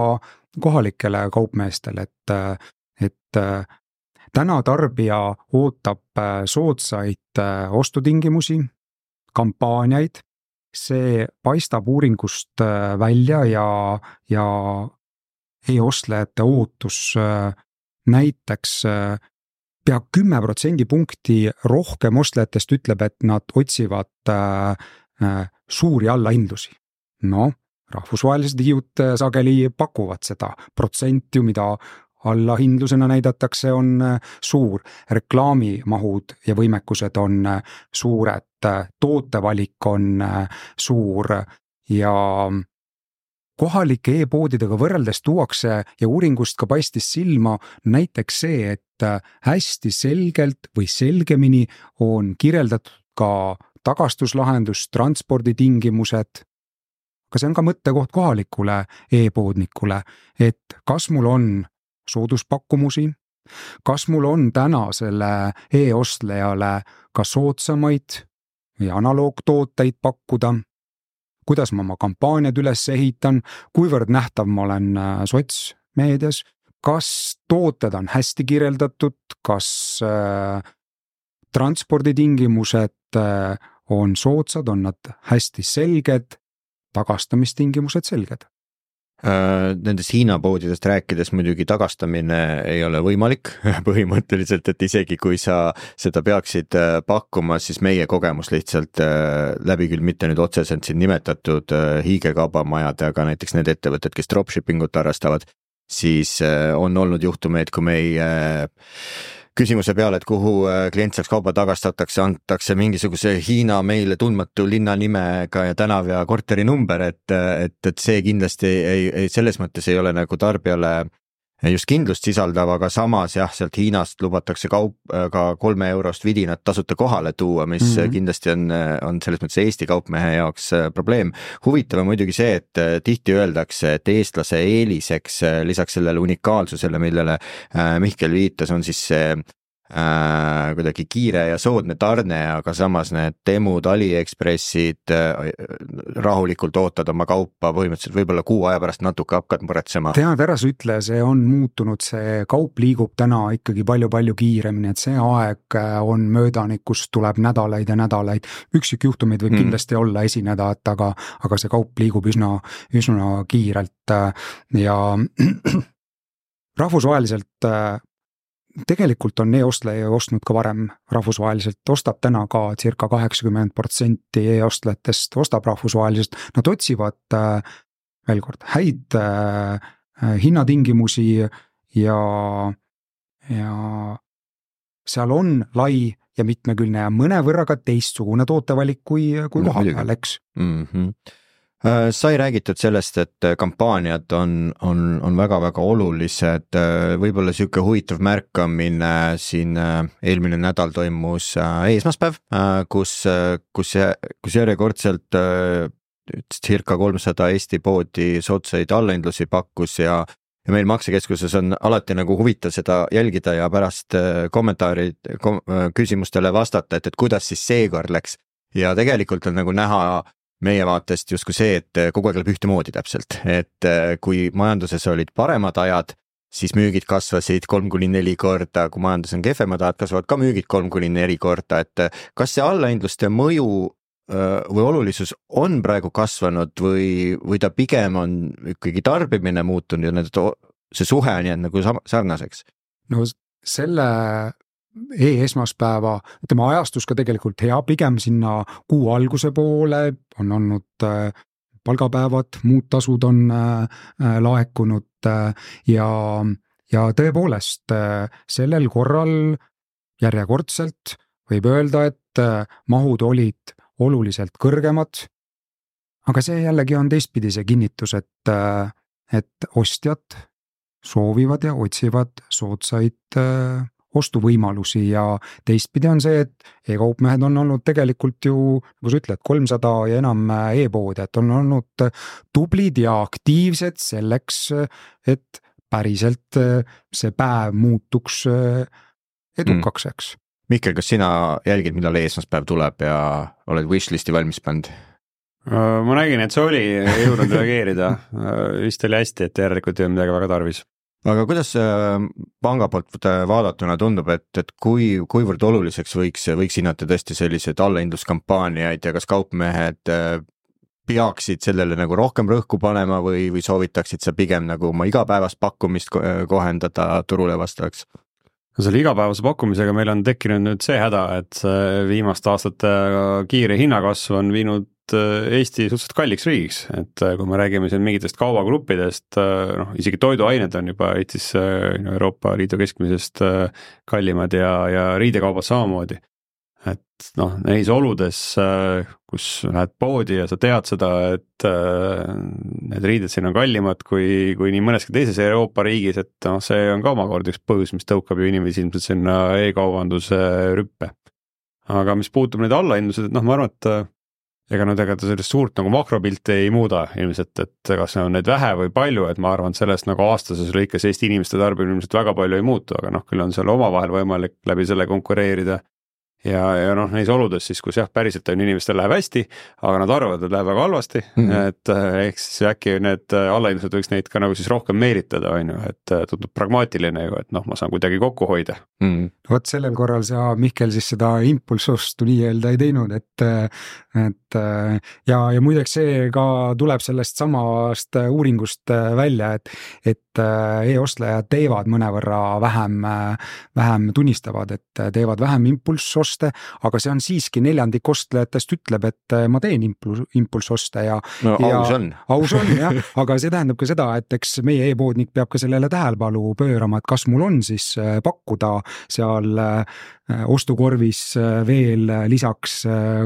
kohalikele kaupmeestele, et, et täna tarbija ootab soodsaid ostutingimusi, kampaaniaid see paistab uuringust välja ja, ja e-ostlejate ootus näiteks pea kümme protsendipunkti rohkem ostlejatest ütleb, et nad otsivad äh, suuri allahindlusi. No, rahvusvahelised hiiud sageli pakuvad seda protsenti, mida allahindlusena näidatakse, on suur, reklaamimahud ja võimekused on suured, tootevalik on suur ja kohalike e-poodidega võrreldes tuuakse ja uuringust ka paistis silma näiteks see, et hästi selgelt või selgemini on kirjeldatud ka tagastuslahendus, transporditingimused, aga see on ka mõttekoht kohalikule e-poodnikule, et kas mul on sooduspakumusi, kas mul on täna selle e-ostlejale ka soodsamaid või analoogtooteid pakkuda, kuidas ma oma kampaaniad üles ehitan, kuivõrd nähtav ma olen sotsmeedias, kas tooted on hästi kirjeldatud, kas äh, transporditingimused äh, on soodsad, on nad hästi selged, tagastamistingimused selged. Nendest Hiina poodidest rääkides muidugi tagastamine ei ole võimalik põhimõtteliselt, et isegi kui sa seda peaksid pakkuma, siis meie kogemus lihtsalt läbi küll mitte nüüd otseselt siin nimetatud hiigekaubamajad, aga näiteks need ettevõtted, kes dropshippingut harrastavad, siis on olnud juhtumeid, kui meie küsimuse peale, et kuhu klient saaks kauba tagastatakse, antakse mingisuguse Hiina meile tundmatu linna nimega ja tänav ja korteri number, et, et, et see kindlasti ei, ei, selles mõttes ei ole nagu tarbijale just kindlust sisaldav, aga samas jah, sealt Hiinast lubatakse kaup ka kolme eurost vidinat tasuta kohale tuua, mis mm-hmm. kindlasti on, on selles mõttes Eesti kaupmehe jaoks probleem. Huvitav on muidugi see, et tihti öeldakse, et eestlase eeliseks lisaks sellele unikaalsusele, millele Mihkel viitas, on siis see Äh, kuidagi kiire ja soodne tarne, aga samas need Temud, AliExpressid äh, rahulikult ootad oma kaupa põhimõtteliselt võib-olla kuu aja pärast natuke hakkad muretsema. Tead, ära sa ütle, see on muutunud, see kaup liigub täna ikkagi palju-palju kiiremini, et see aeg on möödanik, kus tuleb nädalaid ja nädalaid. Üksikjuhtumid võib mm. kindlasti olla esineda, et aga, aga see kaup liigub üsna, üsna kiirelt ja rahvusvaheliselt tegelikult on e-ostleja ostnud ka varem rahvusvaheliselt, ostab täna ka circa kaheksakümmend protsenti e-ostlejatest, ostab rahvusvaheliselt, nad otsivad äh, veel kord häid äh, hinnatingimusi ja, ja seal on lai ja mitmekülgne ja mõnevõrra ka teistsugune tootevalik kui, kui no, kohapeal, eks. Mm-hmm. Sai räägitud sellest, et kampaaniad on, on, on väga-väga olulised, võib-olla siuke huvitav märkamine siin eelmine nädal toimus eesmaspäev, kus, kus, kus järjekordselt circa kolmsada Eesti poodi sootsaid allahindlusi pakkus ja, ja meil maksekeskuses on alati nagu huvitav seda jälgida ja pärast kommentaarid kom, küsimustele vastata, et, et kuidas siis seekord läks ja tegelikult on nagu näha meie vaatest justkui see, et kogu aeg läheb ühtemoodi täpselt, et kui majanduses olid paremad ajad, siis müügid kasvasid kolm kuni neli korda, kui majandus on kehvemad ajad, kasvavad ka müügid kolm kuni neli korda, et kas see allahindluste mõju või olulisus on praegu kasvanud või, või ta pigem on ikkagi tarbimine muutunud ja need, see suhe on jäänud nagu sarnaseks? No selle e-esmaspäeva, tema ajastus ka tegelikult hea, pigem sinna kuu alguse poole on olnud palgapäevad, muud tasud on laekunud ja, ja tõepoolest sellel korral järjekordselt võib öelda, et mahud olid oluliselt kõrgemad, aga see jällegi on teistpidi see kinnitus, et, et ostjad soovivad ja otsivad soodsaid ostuvõimalusi ja teistpidi on see, et e-kaupmehed on olnud tegelikult ju, nagu sa ütled, kolmsada ja enam e-poodi, et on olnud tublid ja aktiivsed selleks, et päriselt see päev muutuks edukaks, eks. Mihkel, kas sina jälgid, millal eesmaspäev tuleb ja oled wishlisti valmis pand? Ma nägin, et see oli, ei jõudnud reageerida, vist oli hästi, et järelikult ei ole midagi väga tarvis. Aga kuidas panga poolt vaadatuna tundub, et, et kui, kuivõrd oluliseks võiks, võiks hinnata tõesti sellised allahindluskampaaniaid ja kas kaupmehed peaksid sellele nagu rohkem rõhku panema või, või soovitaksid sa pigem nagu oma igapäevast pakkumist kohendada turule vastavaks? No selle igapäevase pakkumisega meil on tekkinud nüüd see häda, et viimaste aastate kiire hinnakasv on viinud Eesti suhteliselt kalliks riigiks, et kui me räägime siin mingitest kaubagruppidest, noh isegi toiduained on juba Eestis Euroopa Liidu keskmisest kallimad ja, ja riidekaubad samamoodi. Et noh, neis oludes, kus lähed poodi ja sa tead seda, et need riided siin on kallimad kui, kui nii mõneski teises Euroopa riigis, et noh, see on ka omakord üks põhjus, mis tõukab ju inimesi ilmselt sinna e-kaubanduse rüppe. Aga mis puutub neid allahindlused, et noh, ma arvan, et ega nüüd ega ta sellist suurt nagu makropilti ei muuda ilmselt, et kas on neid vähe või palju, et ma arvan, et sellest nagu aastases lõikes Eesti inimeste tarbimine ilmselt väga palju ei muutu, aga noh, küll on seal omavahel võimalik läbi selle konkureerida. Ja, ja noh, neis oludes siis, kus jah, päriselt on inimestel läheb hästi, aga nad arvavad, et läheb väga halvasti, mm-hmm. et ehk siis äkki need allahindlused võiks neid ka nagu siis rohkem meelitada, on ju, et tundub pragmaatiline ju, et noh, ma saan kuidagi kokku hoida. Mm. Vot sellel korral sa, Mihkel, siis seda impulsostu nii-öelda ei teinud, et, et ja, ja muideks see ka tuleb sellest samast uuringust välja, et, et e-ostlejad teevad mõnevõrra vähem, vähem tunnistavad, et teevad vähem impulsoste, aga see on siiski neljandik ostlejatest ütleb, et ma teen impuls, impulsoste ja, no, ja aus on, aus on jah, aga see tähendab ka seda, et eks meie e-poodnik peab ka sellele tähelepanu pöörama, et kas mul on siis pakkuda seal ostukorvis veel lisaks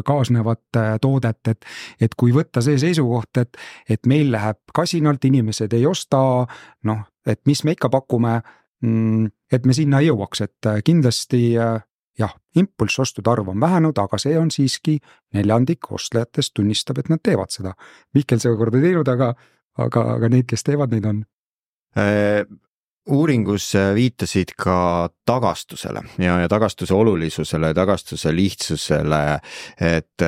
kaasnevat toodet, et, et kui võtta see seisukoht, et, et meil läheb kasinalt, inimesed ei osta, noh, et mis me ikka pakume, et me sinna ei jõuaks, et kindlasti jah, impulsostude arv on vähenud, aga see on siiski neljandik ostlejatest tunnistab, et nad teevad seda. Mihkel see korda teinud, aga, aga, aga neid, kes teevad, neid on. Uuringus viitasid ka tagastusele ja, ja tagastuse olulisusele, tagastuse lihtsusele, et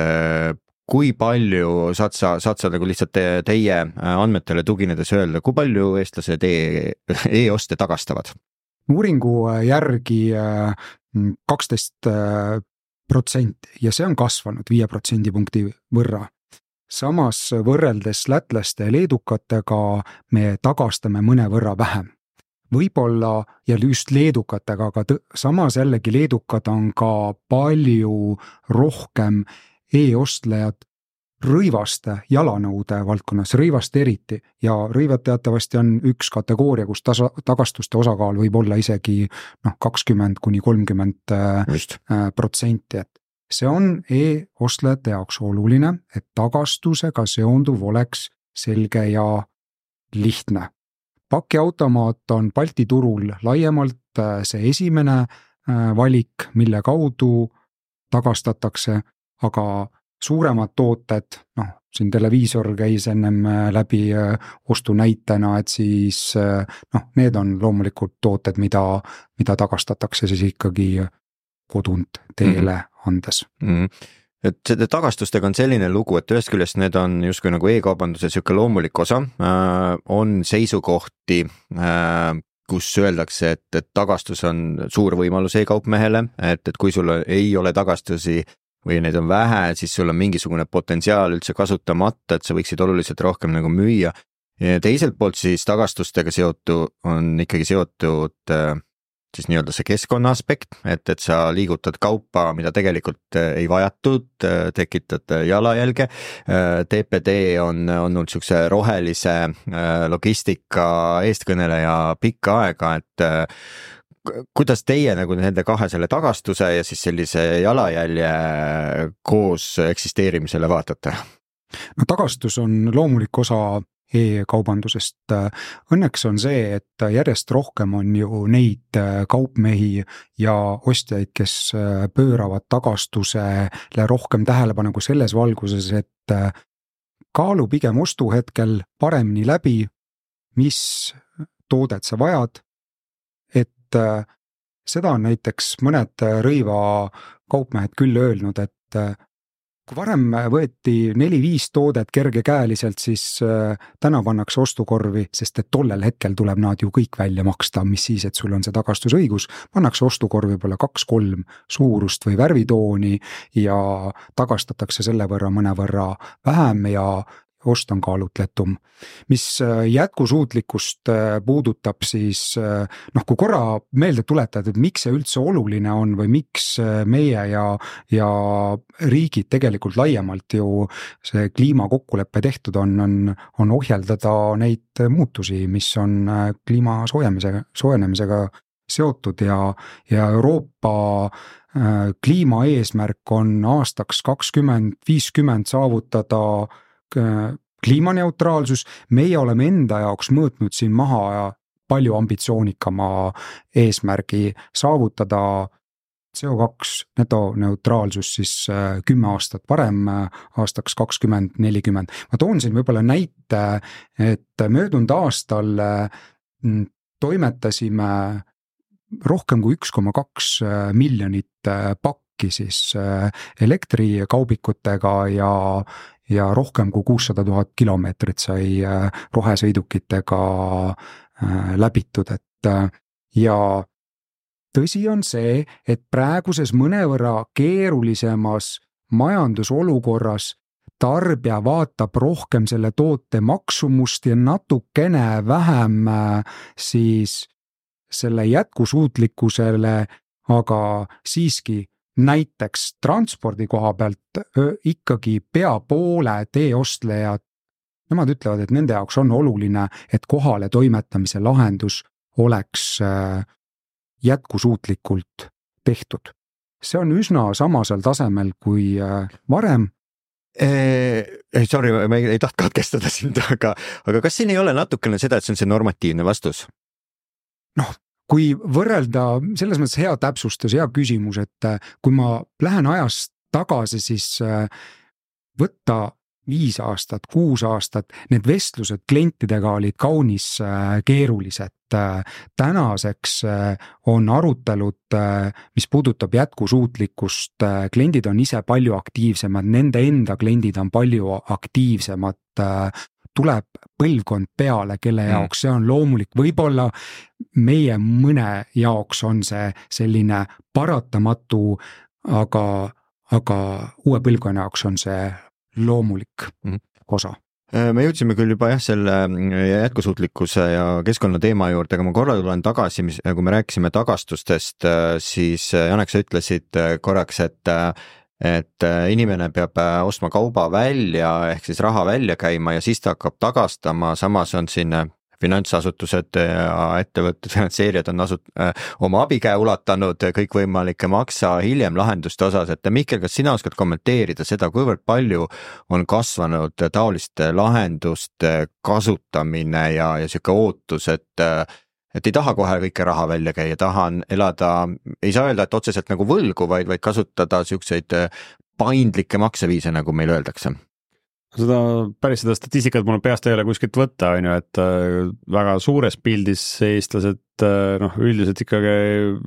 kui palju saad sa, saad sa nagu lihtsalt te, teie andmetele tuginedes öelda, kui palju eestlased e, e-oste tagastavad? Uuringu järgi kaksteist protsenti ja see on kasvanud viie protsendipunkti võrra. Samas võrreldes lätlaste ja leedukatega me tagastame mõne võrra vähem. Võib-olla ja just leedukatega, aga tõ, samas jällegi leedukad on ka palju rohkem e-ostlejad rõivaste jalanõude valdkonnas, rõivaste eriti ja rõivad teatavasti on üks kategooria, kus tasa, tagastuste osakaal võib olla isegi noh, kakskümmend kuni kolmkümmend protsenti, et see on e-ostlejate jaoks oluline, et tagastusega seonduv oleks selge ja lihtne. Pakiautomaat on Balti turul laiemalt see esimene valik, mille kaudu tagastatakse, aga suuremad tooted, noh, siin televiisor käis ennem läbi ostu näitena, et siis noh, need on loomulikult tooted, mida, mida tagastatakse siis ikkagi kodunt teele andes. Mm-hmm. Et seda tagastustega on selline lugu, et ühest küljest need on justkui nagu e-kaubanduse siuke loomulik osa, äh, on seisukohti, äh, kus öeldakse, et, et tagastus on suur võimalus e-kaupmehele, et, et kui sul ei ole tagastusi või neid on vähe, siis sul on mingisugune potentsiaal üldse kasutamata, et sa võiksid oluliselt rohkem nagu müüa. Ja teiselt poolt siis tagastustega seotu on ikkagi seotud äh, siis nii-öelda see keskkonna aspekt, et, et sa liigutad kaupa, mida tegelikult ei vajatud, tekitad jalajälge. T P D on olnud niisuguse rohelise logistika eestkõneleja pikka aega, et kuidas teie nagu nende kahe selle tagastuse ja siis sellise jalajälje koos eksisteerimisele vaatate? No tagastus on loomulik osa e-kaubandusest. Õnneks on see, et järjest rohkem on ju neid kaupmehi ja ostjaid, kes pööravad tagastusele rohkem tähelepanu kui selles valguses, et kaalu pigem ostuhetkel paremini läbi, mis toodet sa vajad, et seda on näiteks mõned rõiva kaupmehed küll öelnud, et kui varem võeti neli-viis toodet kergekäeliselt, siis täna pannakse ostukorvi, sest et tollel hetkel tuleb nad ju kõik välja maksta, mis siis, et sul on see tagastusõigus, pannakse ostukorvi võib-olla kaks-kolm suurust või värvitooni ja tagastatakse selle võrra mõne võrra vähem ja ost on kaalutletum. Mis jätkusuutlikkust puudutab, siis noh, kui korra meelde tuletada, et miks see üldse oluline on või miks meie ja, ja riigid tegelikult laiemalt ju see kliimakokkuleppe tehtud on, on, on ohjeldada neid muutusi, mis on kliima soojemisega, soojenemisega seotud ja, ja Euroopa kliimaeesmärk on aastaks kakskümmend viiskümmend saavutada kliimaneutraalsus, meie oleme enda jaoks mõõtnud siin maha palju ambitsioonikama eesmärgi saavutada C O kaks netoneutraalsus siis kümme aastat varem, aastaks kakskümmend nelikümmend. Ma toon siin võib-olla näite, et möödunud aastal toimetasime rohkem kui üks koma kaks miljonit pakki siis elektrikaubikutega ja ja rohkem kui kuussada tuhat kilomeetrit sai rohesõidukitega läbitud, et ja tõsi on see, et praeguses mõnevõrra keerulisemas majandusolukorras tarbija vaatab rohkem selle toote maksumust ja natukene vähem siis selle jätkusuutlikkusele, aga siiski näiteks transpordi koha pealt ikkagi pea poole teeostlejad, nemad ütlevad, et nende jaoks on oluline, et kohale toimetamise lahendus oleks jätkusuutlikult tehtud. See on üsna samasel tasemel kui varem. Eh, sorry, ma ei, ei taht katkestada sind, aga, aga kas siin ei ole natukene seda, et see on see normatiivne vastus? Noh, kui võrrelda, selles mõttes hea täpsustus, hea küsimus, et kui ma lähen ajast tagasi, siis võtta viis aastat, kuus aastat, need vestlused klientidega olid kaunis keerulised. Tänaseks on arutelud, mis puudutab jätkusuutlikkust, kliendid on ise palju aktiivsemad, nende enda kliendid on palju aktiivsemad, tuleb põlvkond peale, kelle jaoks see on loomulik, võib-olla meie mõne jaoks on see selline paratamatu, aga, aga uue põlvkonna jaoks on see loomulik osa. Me jõudsime küll juba jah, selle jätkusuutlikkuse ja keskkonna teema juurde, aga ma korra tulen tagasi, kui me rääkisime tagastustest, siis Janek, sa ütlesid korraks, et et inimene peab ostma kauba välja, ehk siis raha välja käima ja siis ta hakkab tagastama, samas on siin finantsasutused ja ettevõtted, finantseerijad on asut- äh, oma abikäe ulatanud kõikvõimalike maksa hiljem lahenduste osas, et Mihkel, kas sina oskad kommenteerida seda, kuivõrd palju on kasvanud taoliste lahenduste kasutamine ja, ja siuke ootus, et et ei taha kohe kõike raha välja käia, tahan elada, ei saa öelda, et otseselt nagu võlgu, vaid, vaid kasutada siukseid paindlikke makseviise, nagu meil öeldakse. Seda päris seda statistikat mul peast ei ole kuskilt võtta, on ju, et väga suures pildis eestlased noh, üldiselt ikkagi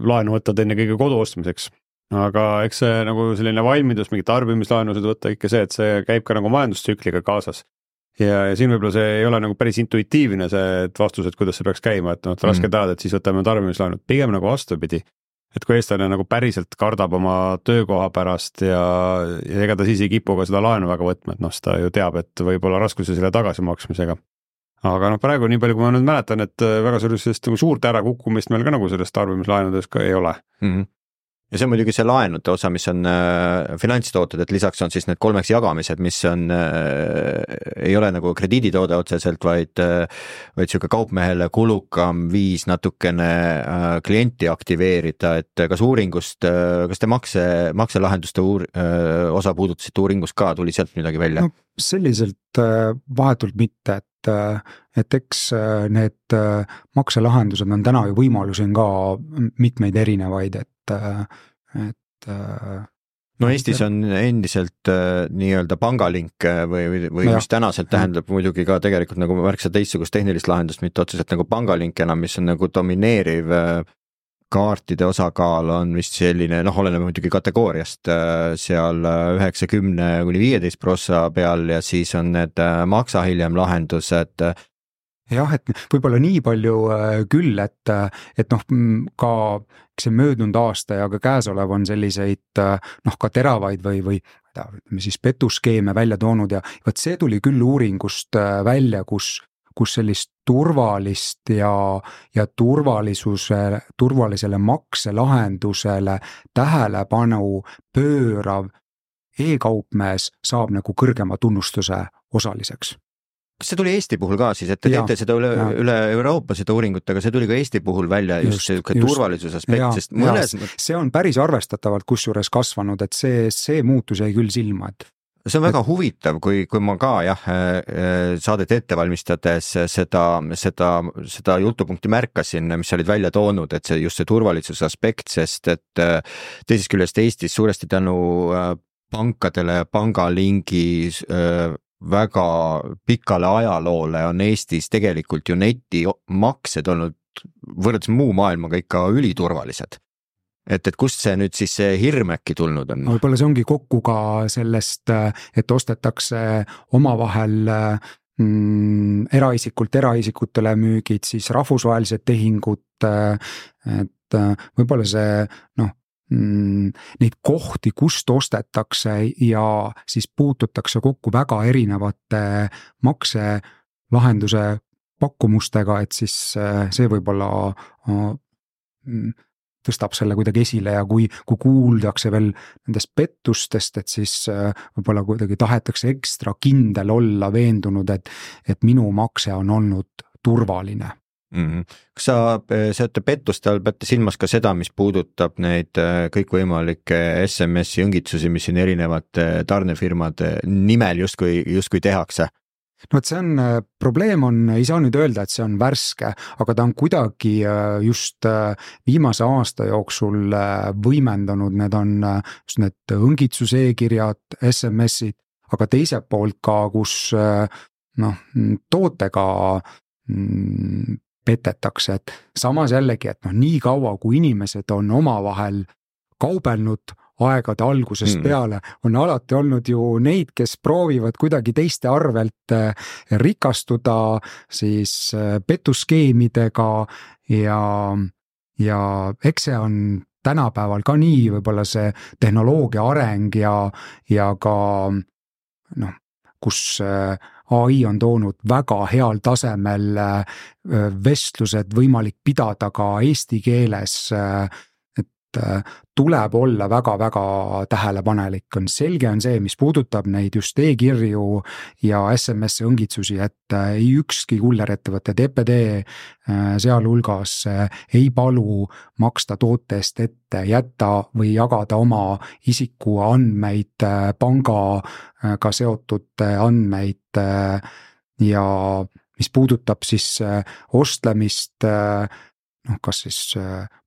laenu võtavad enne kõige kodu ostmiseks. Aga eks see nagu selline valmidus mingi tarbimislaenusid võtta ikka see, et see käib ka nagu majandustsükliga kaasas. Ja, ja siin võib-olla see ei ole nagu päris intuitiivne see et vastus, et kuidas see peaks käima, et noh, raske teada, et siis võtame tarbimislaenud. Pigem nagu vastupidi, et kui eestlane nagu päriselt kardab oma töökoha pärast ja, ja ega ta siis ei kipu ka seda laenu väga võtma, et noh, seda ju teab, et võib-olla raskusi selle tagasimaksmisega. Aga noh, praegu nii palju, kui ma nüüd mäletan, et väga sellisest nagu suurt ärakukkumist meil ka nagu sellest tarbimislaenudes ka ei ole. Mm-hmm. Ja see on muidugi see laenude osa, mis on äh, finantstooted, et lisaks on siis need kolmeks jagamised, mis on, äh, ei ole nagu krediiditoode otseselt, vaid, äh, vaid siuke kaupmehele kulukam viis natukene äh, klienti aktiveerida, et kas uuringust, äh, kas te makse, makselahenduste uur, äh, osa puudutasite uuringust ka, tuli sealt midagi välja? No, selliselt äh, vahetult mitte, et et eks need makselahendused on täna ju võimalusi on ka mitmeid erinevaid, et et no Eestis on endiselt äh, nii-öelda pangalink või, või, või mis tänaselt tähendab muidugi ka tegelikult nagu märksa teistsugust tehnilist lahendust, mitte otseselt nagu pangalink enam, mis on nagu domineeriv äh, kaartide osakaal on vist selline, noh, oleneb muidugi kategooriast, seal üheksakümne kuni viieteist prossa peal ja siis on need maksa hiljem lahendused. Jah, et võib-olla nii palju küll, et, et noh, ka see möödunud aasta ja ka käesolev on selliseid noh, ka teravaid või, või ütleme siis petuskeeme välja toonud ja võt see tuli küll uuringust välja, kus, kus sellist turvalist ja, ja turvalisuse, turvalisele makselahendusele tähelepanu pöörav e-kaupmees saab nagu kõrgema tunnustuse osaliseks. Kas see tuli Eesti puhul ka siis, et te teete seda üle, üle Euroopa seda uuringut, aga see tuli ka Eesti puhul välja just, just, just turvalisuse aspekt, sest mõnes... see on päris arvestatavalt kusjuures kasvanud, et see, see muutus jäi küll silma, et see on väga et... huvitav, kui, kui ma ka jah, saadet ette valmistades seda, seda, seda jutupunkti märkasin, mis olid välja toonud, et see just see turvalisuse aspekt, sest et teisest küljest Eestis suuresti tänu pankadele, pangalingi väga pikale ajaloole on Eestis tegelikult ju netimaksed olnud võrreldes muu maailmaga ikka üliturvalised. Et, et kust see nüüd siis see hirm äkki tulnud on? Võib-olla see ongi kokku ka sellest, et ostetakse omavahel mm, eraisikult eraisikutele müügid, siis rahvusvahelised tehingud, et võib-olla see noh, neid kohti, kust ostetakse ja siis puututakse kokku väga erinevate makselahenduse pakkumustega, et siis see võib-olla tõstab selle kuidagi esile ja kui, kui kuuldakse veel nendest pettustest, et siis võib-olla kuidagi tahetakse ekstra kindel olla veendunud, et, et minu makse on olnud turvaline. Mm-hmm. Kas sa seate pettuste all peate silmas ka seda, mis puudutab neid kõikvõimalikke S M S-i õngitsusi, mis siin erinevate tarnefirmade nimel justkui, justkui tehakse? No et see on, probleem on, ei saa nüüd öelda, et see on värske, aga ta on kuidagi just viimase aasta jooksul võimendanud, need on just need õngitsuse e-kirjad, S M S-id, aga teiselt poolt ka, kus noh, tootega petetakse, et samas jällegi, et noh, nii kaua, kui inimesed on omavahel kaubelnud aegade algusest mm. peale, on alati olnud ju neid, kes proovivad kuidagi teiste arvelt rikastuda siis petuskeemidega ja, ja eks see on tänapäeval ka nii, võib-olla see tehnoloogia areng ja, ja ka noh, kus A I on toonud väga heal tasemel vestlused võimalik pidada ka eesti keeles, et tuleb olla väga-väga tähelepanelik. On selge on see, mis puudutab neid just e-kirju ja S M S õngitsusi, et ei ükski kullerettevõte, D P D sealhulgas ei palu maksta toote eest ette, jätta või jagada oma isiku andmeid, pangaga seotud andmeid ja mis puudutab siis ostlemist, noh, kas siis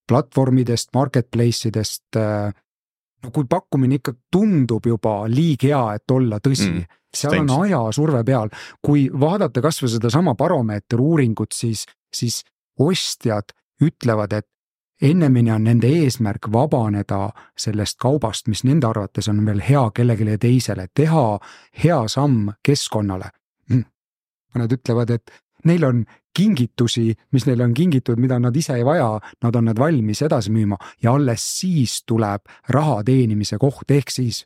platvormidest, marketplace'idest, no kui pakkumine ikka tundub juba liig hea, et olla tõsi, mm, seal on aja surve peal, kui vaadata kas või seda sama baromeeter uuringut, siis, siis ostjad ütlevad, et ennemini on nende eesmärk vabaneda sellest kaubast, mis nende arvates on veel hea kellegile teisele, teha hea samm keskkonnale. Mõned ütlevad, et neil on kingitusi, mis neil on kingitud, mida nad ise ei vaja, nad on nad valmis edasi müüma ja alles siis tuleb raha teenimise koht, ehk siis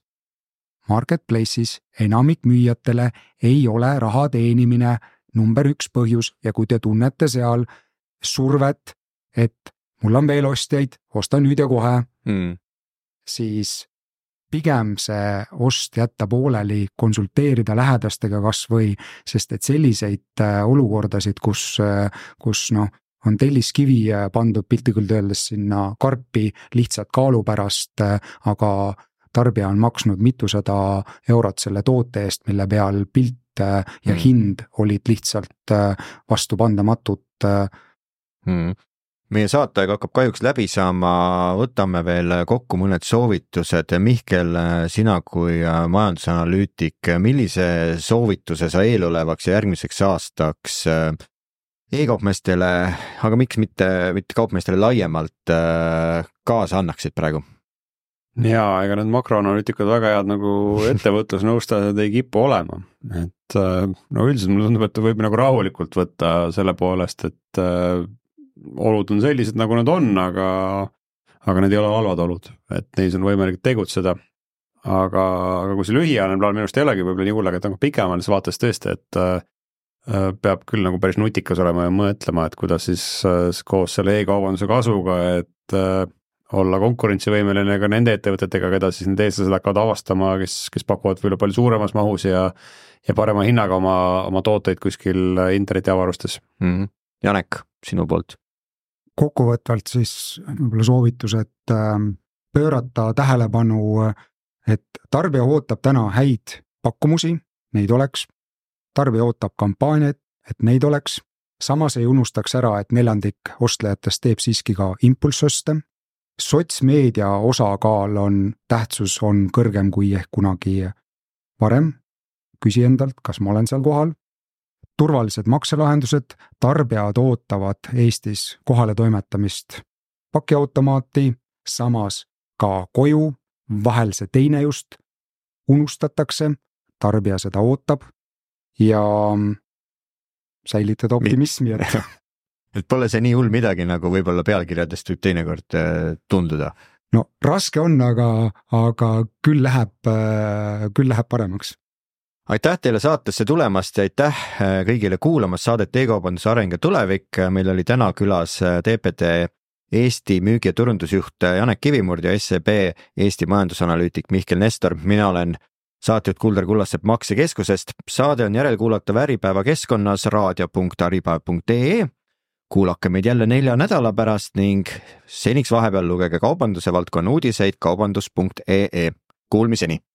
marketplace'is enamik müüjatele ei ole raha teenimine number üks põhjus ja kui te tunnete seal survet, et mul on veel ostjaid, osta nüüd ja kohe, mm. siis pigem see ost jätta pooleli, konsulteerida lähedastega kas või, sest et selliseid olukordasid, kus, kus noh, on telliskivi pandud piltlikult öeldes sinna karpi lihtsalt kaalu pärast, aga tarbija on maksnud mitusada eurot selle toote eest, mille peal pilt ja hind olid lihtsalt vastupandamatut. Hmm. Meie saateaeg hakkab kahjuks läbi saama, võtame veel kokku mõned soovitused. Mihkel, sina kui majandusanalüütik, millise soovituse sa eelolevaks ja järgmiseks aastaks e-kaupmeestele, aga miks mitte, mitte kaupmeestele laiemalt kaasa annaksid praegu? Jaa, ega need makroanalüütikud väga head nagu ettevõtlusnõustajad ei kipu olema, et no üldiselt mulle tundub, et võib nagu rahulikult võtta selle poolest, et äh, olud on sellised, nagu nad on, aga, aga need ei ole halvad olud, et neis on võimalik tegutseda. Aga, aga kui see lühiajaline plaan minust ei olegi võib-olla nii hull, aga et nagu pikemalises vaates tõesti, et äh, peab küll nagu päris nutikas olema ja mõtlema, et kuidas siis äh, koos selle e-kaubanduse kasuga, et äh, olla konkurentsivõimeline ka nende ettevõtetega, keda siis need eestlased hakkavad avastama, kes, kes pakuvad võib-olla palju suuremas mahus ja, ja parema hinnaga oma, oma tooteid kuskil internetiavarustes. Mm-hmm. Janek, sinu poolt? Kokkuvõtvalt siis võib-olla soovitus, et pöörata tähelepanu, et tarbija ootab täna häid pakkumusi, neid oleks, tarbija ootab kampaaniaid, et neid oleks, samas ei unustaks ära, et neljandik ostlejatest teeb siiski ka impulssoste. Sotsmeedia osakaal on, tähtsus on kõrgem kui ehk kunagi varem. Küsi endalt, kas ma olen seal kohal. Turvalised makselahendused, tarbijad ootavad Eestis kohale toimetamist pakiautomaati, samas ka koju, vahel see teine just unustatakse, tarbija seda ootab ja säilitada optimismi. Et et pole see nii hull midagi, nagu võib-olla pealkirjadest võib teinekord tunduda. No raske on, aga, aga küll läheb, küll läheb paremaks. Aitäh teile saatesse tulemast ja aitäh kõigile kuulamast saadet E-kaubanduse areng ja tulevik. Meil oli täna külas T P T Eesti müügi- ja turundusjuht Janek Kivimurd ja S E B Eesti majandusanalüütik Mihkel Nestor. Mina olen saatejuht Kuldar Kullasepp Maksekeskusest. Saade on järelkuulatav Äripäeva keskkonnas raadio punkt äripäev punkt ee. Kuulake meid jälle nelja nädala pärast ning seniks vahepeal lugege kaubanduse valdkonna uudiseid kaubandus punkt ee. Kuulmiseni!